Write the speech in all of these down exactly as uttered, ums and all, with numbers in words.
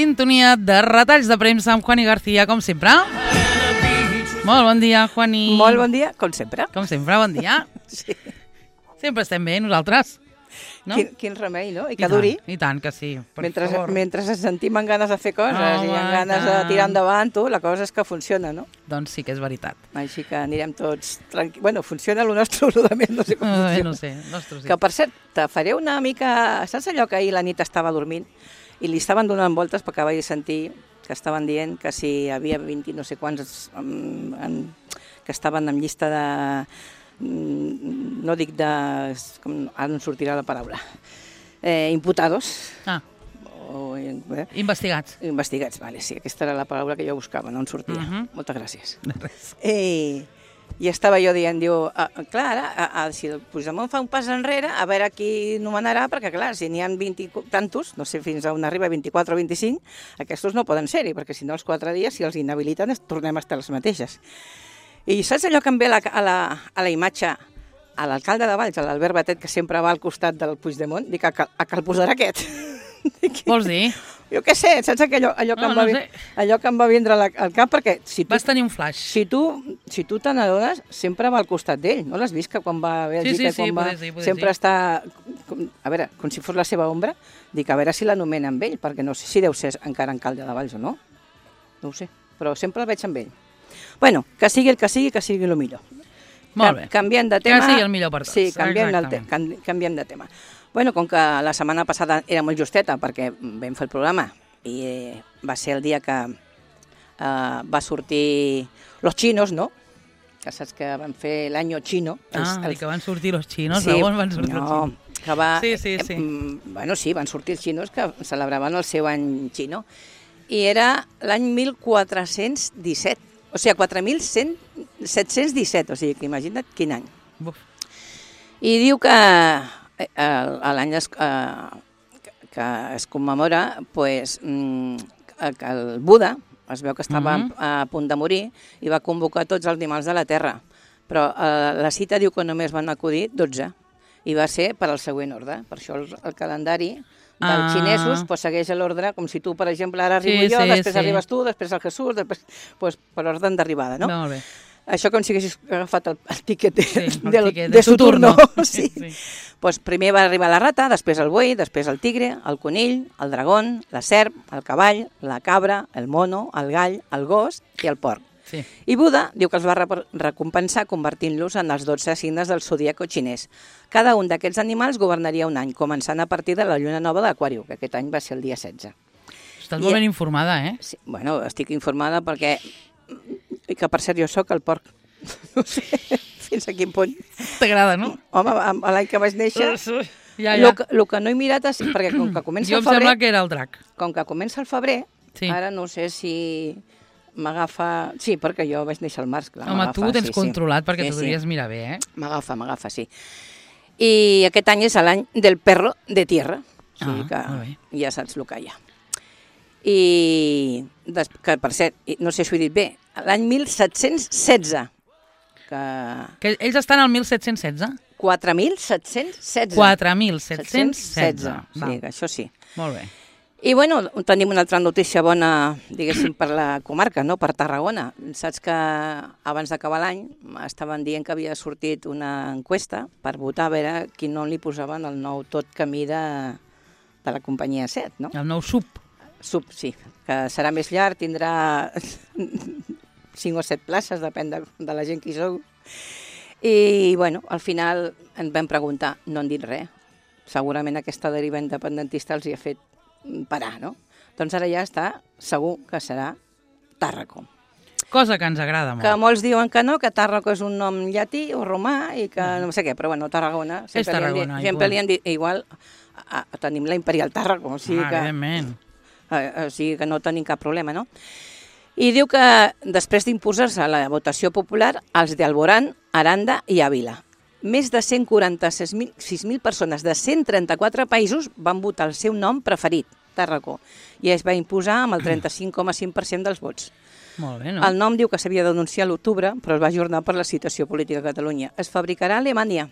sintonia de retalls de premsa amb Juani García, com sempre. Molt bon dia, Juani. Molt bon dia, com sempre. Com sempre, bon dia. Sí. Sempre estem bé, nosaltres. No? Quin, quin remei, no? I que I duri. Tant, I tant que sí, per mentre, favor. Mentre ens sentim amb ganes de fer coses Home, i amb ganes de tirar endavant, tu, la cosa és que funciona, no? Doncs sí que és veritat. Així que anirem tots tranquils. Bueno, funciona el nostre, el de més, no sé com No, funciona. no sé, nostre sí. Que, per cert, te faré una mica... Saps allò que ahir la nit estava dormint i li estaven donant voltes perquè vaig sentir que estaven dient que si hi havia vint no sé quants en, en, que estaven en llista de... no dic de... Com, ara no em sortirà la paraula. Eh, imputados. Ah, O, eh, investigats. investigats, vale, sí, aquesta era la paraula que jo buscava, no em sortia. Uh -huh. Moltes gràcies. Res. I, i estava jo dient, diu, ah, clar, ara, a, a, si el Puigdemont fa un pas enrere, a veure qui nomenarà, perquè clar, si n'hi ha vint i tantos, no sé fins a on arriba, vint-i-quatre o vint-i-cinc, aquests no poden ser-hi, perquè si no els quatre dies, si els inhabiliten, tornem a estar les mateixes. I saps allò que em ve la, a, la, a la imatge a l'alcalde de Valls, a l'Albert Batet, que sempre va al costat del Puigdemont? Dic, a que, a que el posarà aquest. Vols dir? Jo què sé, saps allò, allò, que, No, em va, no vi- sé. allò que em va vindre la- al cap? Perquè si tu, Vas tenir un flash. si tu, si tu te n'adones, sempre va al costat d'ell. No l'has vist que quan va a Bèlgica, Sí, sí, sí, quan va, poder sí, poder sempre sí. està, com, a veure, com si fos la seva ombra, dic, a veure si l'anomena amb ell, perquè no sé si deu ser encara alcalde de Valls o no. No ho sé, però sempre el veig amb ell. Bueno, que sigui el que sigui, que sigui el millor. Molt bé. Ca- Canviem de Que tema. sigui el millor per tots. Sí, canviem, el te Exactament. can canviem de tema. Bueno, com que la setmana passada era molt justeta perquè vam fer el programa i eh, va ser el dia que eh, va sortir los chinos, no? Que saps que van fer l'any xino. Ah, i que van sortir los xinos, sí, sí, on van sortir no, els xinos? que va... Sí, sí, sí. Eh, mm, bueno, sí, van sortir els xinos que celebraven el seu any xino. I era l'any mil quatre-cents disset. O sigui, quatre mil set-cents disset, o sigui, que imagina't quin any. Buf. I diu que eh, l'any es, eh, que, que es commemora pues, mm, que el Buda es veu que estava Mhm. a punt de morir i va convocar tots els animals de la Terra. Però eh, la cita diu que només van acudir dotze i va ser per al següent ordre. Per això el, el calendari dels Ah. xinesos pues, segueix l'ordre, com si tu, per exemple, ara arribo Sí, jo, sí, després sí. arribes tu, després el Jesús, després, pues, per ordre d'arribada, no? Molt bé. Això com si haguessis agafat el, el tiquet de, Sí, el del, tiquet de, de su turno. Sí, Sí. sí. Pues primer va arribar la rata, després el buey, després el tigre, el conill, el dragón, la serp, el cavall, la cabra, el mono, el gall, el gos i el porc. Sí. I Buda diu que els va re- recompensar convertint-los en els dotze signes del zodíaco xinès. Cada un d'aquests animals governaria un any, començant a partir de la lluna nova d'Aquàriu, que aquest any va ser el dia setze. Estàs I- molt ben informada, eh? Sí, bueno, estic informada perquè... I que, per cert, jo sóc el porc. No sé fins a quin punt. T'agrada, no? Home, a l'any que vaig néixer, Ja, el ja. que, lo que no he mirat és... Perquè com que comença Jo el em sembla febrer, que era el drac. com que comença el febrer, Sí. ara no sé si m'agafa... Sí, perquè jo vaig néixer al març, clar. Home, tu ho m'agafa, tens sí, sí. controlat perquè Sí, t'ho sí. devries mirar bé, eh? M'agafa, m'agafa, sí. I aquest any és l'any del perro de tierra. O sigui Ah, que molt bé. ja saps el que hi ha. I, des, que per cert, i no sé si ho he dit bé, l'any mil set-cents setze, que... Que ells estan al mil set-cents setze? quatre mil set-cents setze. quatre mil set-cents setze. Sí, que això sí. Molt bé. I bueno, tenim una altra notícia bona, diguéssim, per la comarca, no? Per Tarragona. Saps que abans d'acabar l'any estaven dient que havia sortit una enquesta per votar a veure quin nom li posaven al nou tot camí de, de la companyia set, no? El nou sub. Sub, sí, que serà més llarg, tindrà cinc o set places, depèn de, de la gent que hi sou. I, bueno, al final ens vam preguntar, no han dit res. Segurament aquesta deriva independentista els hi ha fet parar, no? Doncs ara ja està segur que serà Tàrraco. Cosa que ens agrada molt. Que molts diuen que no, que Tàrraco és un nom llatí o romà i que no sé què, però bueno, Tarragona... És Tarragona, Sempre igual. li han dit, igual, a, a, tenim la Imperial Tàrraco, o sigui ah, que... evidentment. Eh, o sigui que no tenim cap problema, no? I diu que després d'imposar-se la votació popular, els d'Alborán, Aranda i Àvila, més de cent quaranta-sis mil persones de cent trenta-quatre països van votar el seu nom preferit, Tàrraco, i es va imposar amb el trenta-cinc coma cinc per cent dels vots. Molt bé, no? El nom diu que s'havia d'anunciar a l'octubre, però es va ajornar per la situació política a Catalunya. Es fabricarà a Alemanya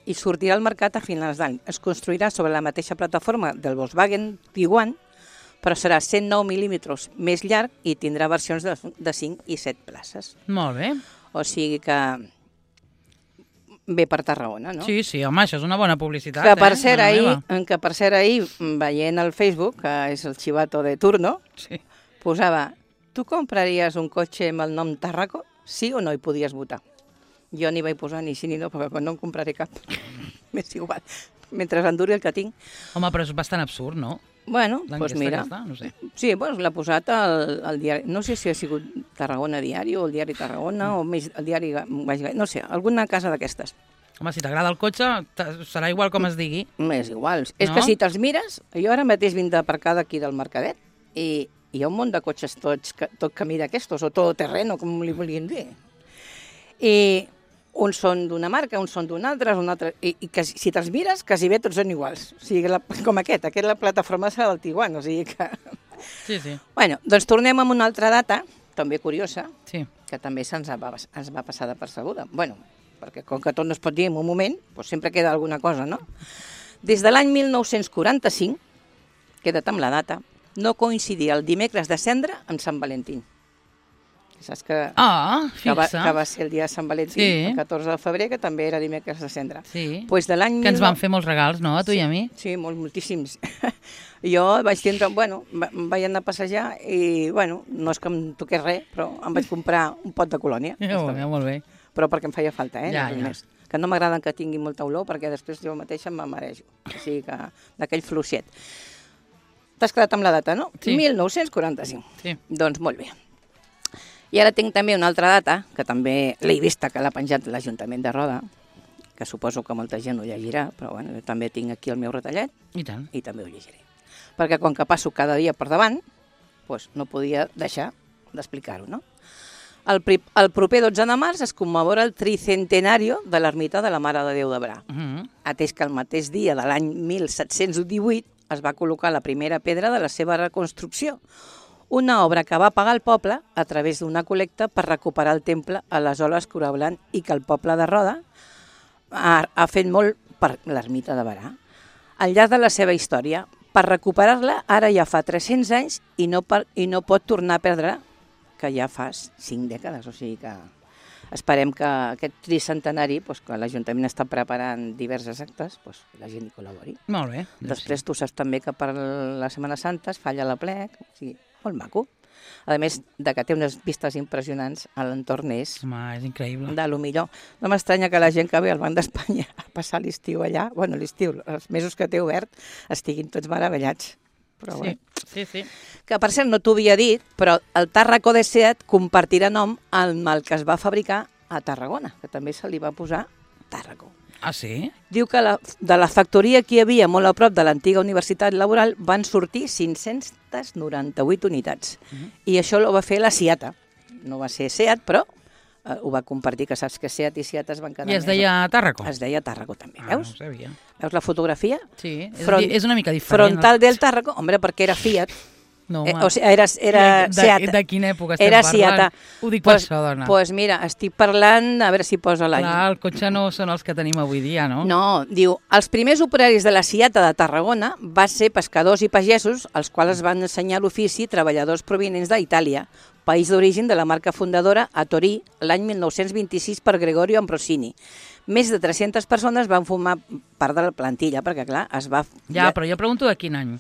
i sortirà al mercat a finals d'any. Es construirà sobre la mateixa plataforma del Volkswagen Tiguan, però serà cent nou mil·límetres més llarg i tindrà versions de, de cinc i set places. Molt bé. O sigui que ve per Tarragona, no? Sí, sí, home, això és una bona publicitat, que per eh? cert, Mare ahir, meva. que per cert ahir, veient el Facebook, que és el xivato de turno, Sí. posava, tu compraries un cotxe amb el nom Tàrraco? Sí o no hi podies votar? Jo n'hi vaig posar ni sí ni no, perquè no en compraré cap. M'és igual. Mentre enduri el que tinc. Home, però és bastant absurd, no? Bueno, doncs pues mira. Aquesta, no sé. Sí, doncs l'ha posat al, al diari. No sé si ha sigut Tarragona Diari o el diari Tarragona o més el diari... No sé, alguna casa d'aquestes. Home, si t'agrada el cotxe, serà igual com es digui. És igual. No? És No? que si te'ls mires, jo ara mateix vinc d'aparcar d'aquí del Mercadet i hi ha un munt de cotxes tots, tot camí d'aquestos, o tot terreno, com li volien dir. I uns són d'una marca, uns són d'una altra, un altre, i, i que, si te'ls mires, quasi bé tots són iguals. O sigui, la, com aquest, aquest la plataforma serà del Tiguan, o sigui que... Sí, sí. Bueno, doncs tornem amb una altra data, també curiosa, Sí. que també se'ns va, ens va passar de percebuda. Bueno, perquè com que tot no es pot dir en un moment, doncs sempre queda alguna cosa, no? Des de l'any mil nou-cents quaranta-cinc, queda't amb la data, no coincidia el dimecres de Cendra amb Sant Valentí. Saps que, Ah, que, va, fixa. que va ser el dia de Sant Valentí, Sí. el catorze de febrer, que també era dimecres de Cendra. Sí. Pues de l'any Que ens mil nou- van fer molts regals, no?, a tu sí, i a mi. Sí, molt, moltíssims. Jo vaig tindre, bueno, va- vaig anar a passejar i, bueno, no és que em toqués res, però em vaig comprar un pot de colònia. Ja, molt bé, molt bé. Però perquè em feia falta, eh? Ja, no res ja. més. Que no m'agraden que tingui molta olor perquè després jo mateixa em marejo. O sigui que d'aquell fluixet. T'has quedat amb la data, no? Sí. mil nou-cents quaranta-cinc. Sí. Doncs molt bé. I ara tinc també una altra data, que també l'he vista, que l'ha penjat l'Ajuntament de Roda, que suposo que molta gent ho llegirà, però bueno, jo també tinc aquí el meu retallet I tant. i també ho llegiré. Perquè com que passo cada dia per davant, doncs no podia deixar d'explicar-ho, no? El, pri el proper dotze de març es commemora el tricentenario de l'ermita de la Mare de Déu de Bra, Uh -huh. atès que el mateix dia de l'any mil set-cents divuit es va col·locar la primera pedra de la seva reconstrucció, una obra que va pagar el poble a través d'una col·lecta per recuperar el temple a les Oles Corablant i que el poble de Roda ha, ha fet molt per l'ermita de Barà. Al llarg de la seva història, per recuperar-la ara ja fa tres-cents anys i no, per, i no pot tornar a perdre, que ja fa cinc dècades, o sigui que esperem que aquest tricentenari, doncs, que l'Ajuntament està preparant diverses actes, doncs, la gent hi col·labori. Molt bé. Després tu saps també que per la Setmana Santa es falla la plec, o sigui, molt maco. A més de que té unes vistes impressionants, a l'entorn és Home, és increïble. de lo millor. No m'estranya que la gent que ve al Banc d'Espanya a passar l'estiu allà, bueno, l'estiu, els mesos que té obert, estiguin tots meravellats. Però Sí, bé. sí, sí. Que per cert no t'ho havia dit, però el Tàrraco de Seat compartirà nom amb el que es va fabricar a Tarragona, que també se li va posar Tàrraco. Ah, sí? Diu que la, de la factoria que hi havia molt a prop de l'antiga Universitat Laboral van sortir cinc-cents noranta-vuit unitats. Uh -huh. I això ho va fer la Seata. No va ser Seat, però eh, ho va compartir, que saps que Seat i Seat es van quedar... I es més- deia Tàrraco? Es deia Tàrraco també, Ah, no veus? ho sabia. Veus la fotografia? Sí, és, Front- és una mica diferent. Frontal del Tàrraco, hombre, perquè era Fiat. No, Eh, home. o sigui, era, era de, Seat. de, de quina època estem Era parlant? Seata. Ho dic per Pues, això, dona. pues mira, estic parlant, a veure si posa l'any. Clar, el cotxe no són els que tenim avui dia, no? No, diu, els primers operaris de la Seata de Tarragona van ser pescadors i pagesos, als quals es van ensenyar l'ofici treballadors provinents d'Itàlia, país d'origen de la marca fundadora a Torí, l'any mil nou-cents vint-i-sis per Gregorio Ambrosini. Més de tres-centes persones van formar part de la plantilla, perquè clar, es va... Ja, però jo pregunto de quin any.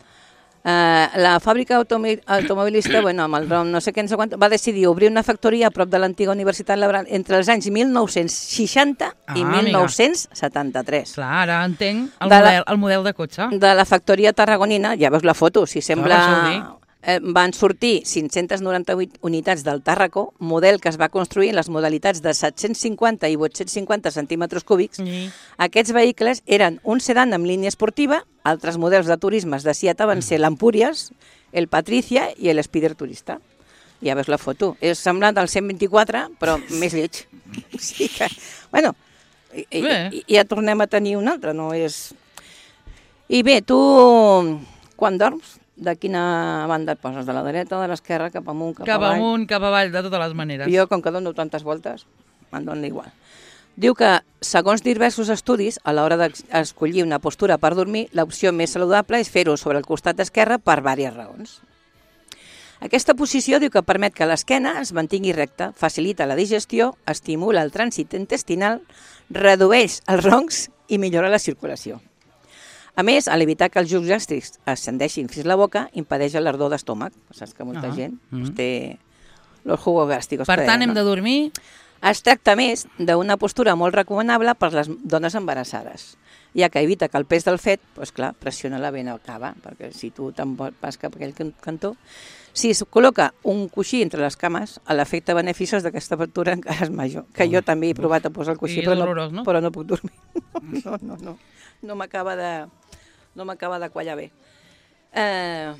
Uh, la fàbrica automi automobilista, bueno, amb el nom no sé què, no sé quant, va decidir obrir una factoria a prop de l'antiga Universitat Laboral entre els anys mil nou-cents seixanta i Ah, mil nou-cents setanta-tres. Clar, ara entenc el, De la- model, el model de cotxe. De la factoria tarragonina, ja veus la foto, si per això ho sembla... Eh, van sortir cinc-cents noranta-vuit unitats del Tàrraco, model que es va construir en les modalitats de set-cents cinquanta i vuit-cents cinquanta centímetres cúbics. Sí. Aquests vehicles eren un sedan amb línia esportiva, altres models de turismes de Seata van ser l'Empúries, el Patricia i l'Spider Turista. Ja veus la foto. És semblant al cent vint-i-quatre, però més lleig. O sigui que, bueno, i, i, i ja tornem a tenir un altre, no és... I bé, tu, quan dorms, de quina banda et poses? De la dreta, de l'esquerra, cap amunt, cap, Cap avall? amunt, cap avall, de totes les maneres. Jo, com que dono tantes voltes, em dona igual. Diu que, segons diversos estudis, a l'hora d'escollir una postura per dormir, l'opció més saludable és fer-ho sobre el costat esquerre per diverses raons. Aquesta posició diu que permet que l'esquena es mantingui recta, facilita la digestió, estimula el trànsit intestinal, redueix els roncs i millora la circulació. A més, a l'evitar que els jus gàstrics ascendeixin fins a la boca, impedeix l'ardor d'estómac. Saps que molta Ah, gent mm. té los jugos gástricos. Per tant, hem de dormir... Es tracta més d'una postura molt recomanable per les dones embarassades, ja que evita que el pes del fet, doncs clar, pressiona la vena cava, perquè si tu te'n vas cap a aquell cantó... Si es col·loca un coixí entre les cames, l'efecte beneficiós d'aquesta postura encara és major, que jo també he provat a posar el coixí, I és però no, dolorós, no? però no puc dormir. No, no, no, no m'acaba de, no m'acaba de quallar bé. Eh,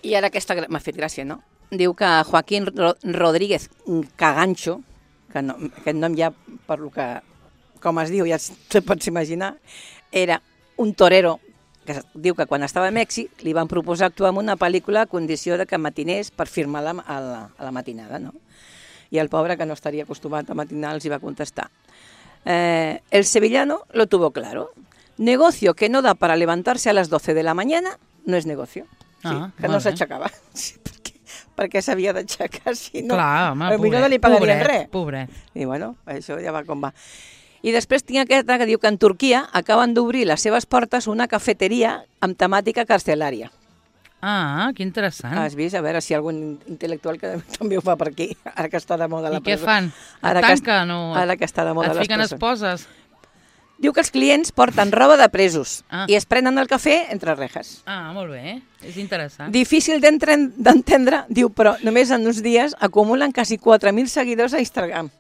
I ara aquesta m'ha fet gràcia, no? Diu que Joaquín Ro- Rodríguez Cagancho, que no, aquest nom ja, per lo que, com es diu, ja te pots imaginar, era un torero que diu que quan estava a Mèxic li van proposar actuar en una pel·lícula a condició de que matinés per firmar la, a, la, a la matinada, no? I el pobre, que no estaria acostumat a matinar, els hi va contestar. Eh, el sevillano lo tuvo claro. Negocio que no da para levantarse a las doce de la mañana no es negocio. Sí, Ah, que no s'aixecava. Sí, perquè, perquè s'havia d'aixecar, si no... Clar, home, potser pobret, no li pagarien pobret, res. pobret. I bueno, això ja va com va. I després tinc aquesta que diu que en Turquia acaben d'obrir les seves portes una cafeteria amb temàtica carcelària. Ah, que interessant. Has vist? A veure si algun intel·lectual que també ho fa per aquí, ara que està de moda la I què presó. fan? Ara Et que, tanquen o ara que està de moda et les fiquen presons. esposes? Diu que els clients porten roba de presos Ah. i es prenen el cafè entre rejas. Ah, molt bé, és interessant. Difícil d'entren- d'entendre, diu, però només en uns dies acumulen quasi quatre mil seguidors a Instagram.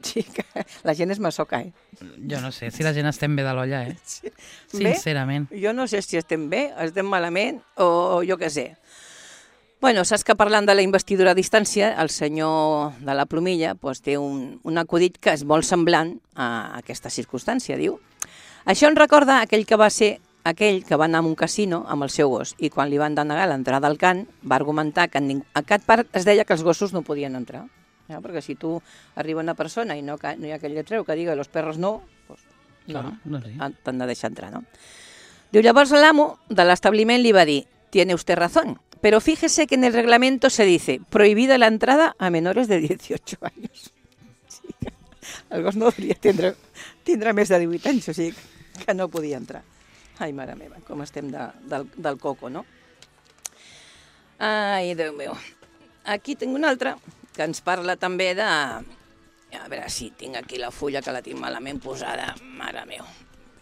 Sí, que la gent és masoca, eh? Jo no sé si la gent estem bé de l'olla, eh? Sí. Sincerament. Bé, jo no sé si estem bé, estem malament o, o jo què sé. Bueno, saps que parlant de la investidura a distància, el senyor de la Plomilla pues, té un, un acudit que és molt semblant a aquesta circumstància, diu. Això em recorda aquell que va ser aquell que va anar a un casino amb el seu gos i quan li van denegar l'entrada al cant va argumentar que en ning... a aquest parc es deia que els gossos no podien entrar. Ja, perquè si tu arriba una persona i no, no hi ha aquell lletreu que diga los perros no, pues, no, Clar, doncs sí. t'han de deixar entrar, no? Diu, llavors l'amo de l'establiment li va dir, tiene usted razón, pero fíjese que en el reglamento se dice prohibida la entrada a menores de dieciocho años. Sí, el gos no hauria tindre, tindre més de divuit anys, o sigui que no podia entrar. Ai, mare meva, com estem de, del, del coco, no? Ai, Déu meu. Aquí tinc un altre que ens parla també de... A veure si tinc aquí la fulla que la tinc malament posada. Mare meu.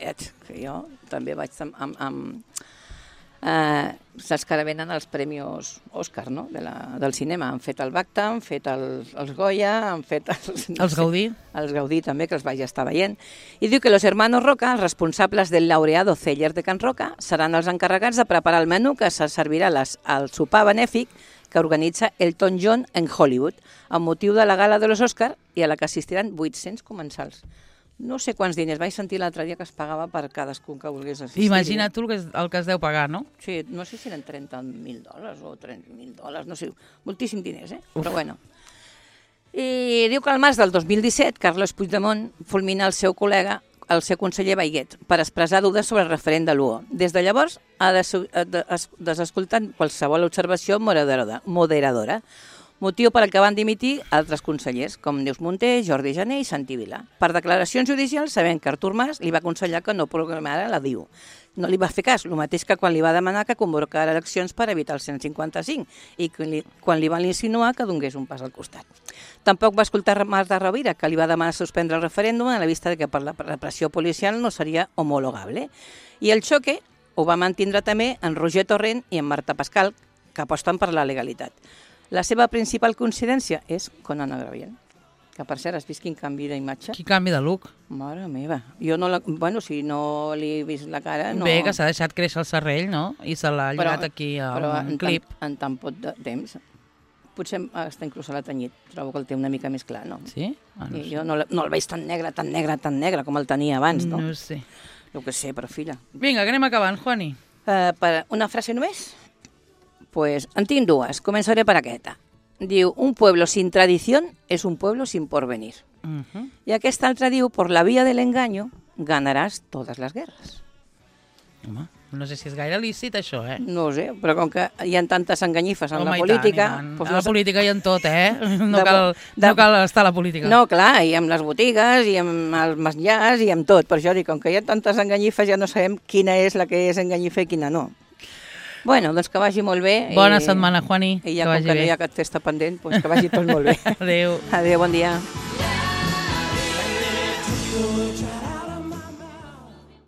Ets, que jo també vaig amb... amb, amb eh, saps que ara venen els premis Òscar, no?, de la, del cinema. Han fet el BAFTA, han fet el, els Goya, han fet els... No Els Gaudí? Els Gaudí també, que els vaig estar veient. I diu que los hermanos Roca, els responsables del laureado Celler de Can Roca, seran els encarregats de preparar el menú que se servirà les, al sopar benèfic que organitza Elton John en Hollywood, amb motiu de la gala de los Òscar i a la que assistiran vuit-cents comensals. No sé quants diners, vaig sentir l'altre dia que es pagava per cadascun que volgués assistir. Imagina't tu el que, es, el que es deu pagar, no? Sí, no sé si eren trenta mil dòlars o trenta mil dòlars, no sé, moltíssim diners, eh? Uf. Però bueno. I diu que al març del dos mil disset, Carles Puigdemont fulmina el seu col·lega, el seu conseller Baiguet, per expressar dubtes sobre el referent de l'U O. Des de llavors ha desescoltat qualsevol observació moderadora, moderadora, motiu per al que van dimitir altres consellers, com Neus Munté, Jordi Jané i Santi Vila. Per declaracions judicials, sabent que Artur Mas li va aconsellar que no programara la D I U. No li va fer cas, el mateix que quan li va demanar que convocara eleccions per evitar el cent cinquanta-cinc i quan li, quan li van insinuar que donés un pas al costat. Tampoc va escoltar Marta Rovira, que li va demanar suspendre el referèndum a la vista de que per la repressió policial no seria homologable. I el xoque ho va mantindre també en Roger Torrent i en Marta Pascal, que aposten per la legalitat. La seva principal coincidència és Conan O'Brien, que per cert has vist quin canvi d'imatge? Quin canvi de look. Mare meva. Jo no la... Bueno, si no li he vist la cara... No... Bé, que s'ha deixat créixer el serrell, no? I se l'ha lligat Però- aquí a però un en clip. Tan, en tan poc de temps. Potser està inclús a la tenyit. Trobo que el té una mica més clar, no? Sí? Ah, no I sé. jo no, la- no el veig tan negre, tan negre, tan negre com el tenia abans, no? No sé. El que sé, però filla. Vinga, que anem acabant, Juani. Uh, per una frase només? Pues en tinc dues. Començaré per aquesta. Diu, un pueblo sin tradición es un pueblo sin porvenir. Uh -huh. I aquesta altra diu, por la vía del engaño ganarás todas las guerras. Home, no sé si és gaire lícit això, eh? No ho sé, però com que hi ha tantes enganyifes en Home, la i política... tant, i tant. Doncs A la no... política hi ha tot, eh? No, De- cal, de- no cal estar a la política. No, clar, i amb les botigues, i amb els menjars, i amb tot. Per això dic, com que hi ha tantes enganyifes, ja no sabem quina és la que és enganyifa i quina no. Bueno, doncs que vagi molt bé. Bona i, setmana, Juani. I ja que com vagi que bé. no hi ha cap festa pendent, doncs que vagi tot molt bé. Adéu. Adéu, bon dia.